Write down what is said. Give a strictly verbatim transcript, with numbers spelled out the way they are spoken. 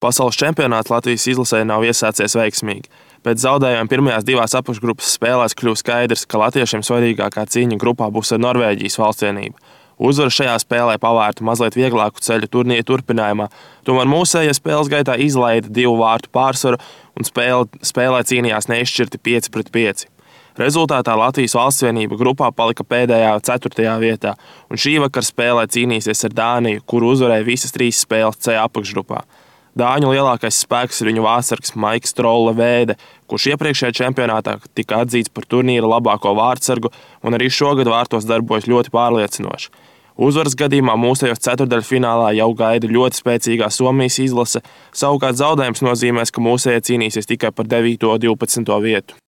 Pasaules čempionāts Latvijas izlasē nav iesācies veiksmīgi. Pēc zaudējuma pirmajās divās apakšgrupas spēlēs kļuva skaidrs, ka latviešiem svarīgākā cīņa grupā būs ar Norvēģijas valstsienību. Uzvara šajā spēlē pavērta mazliet vieglāku ceļu turnīra turpinājumā, tomēr mūsējie spēles gaitā izlaida divu vārtu pārsvaru un spēle, spēlē cīnījās neizšķirti pieci pret pieci. Rezultātā Latvijas valstsvienība grupā palika pēdējā ceturtajā vietā, un šī vakar spēlē cīnīsies ar Dāniju, kuru uzvarēja visas trīs spēles C apakšgrupā. Dāņu lielākais spēks ir viņu vārtsargs Maiks Trolle Vēde, kurš iepriekšējā čempionātā tika atzīts par turnīra labāko vārtsargu un arī šogad vārtos darbojas ļoti pārliecinoši. Uzvaras gadījumā mūsējos ceturtdaļfinālā jau gaida ļoti spēcīgā Somijas izlase, savukārt zaudējums nozīmēs, ka mūsējie cīnīsies tikai par devīto un divpadsmito vietu.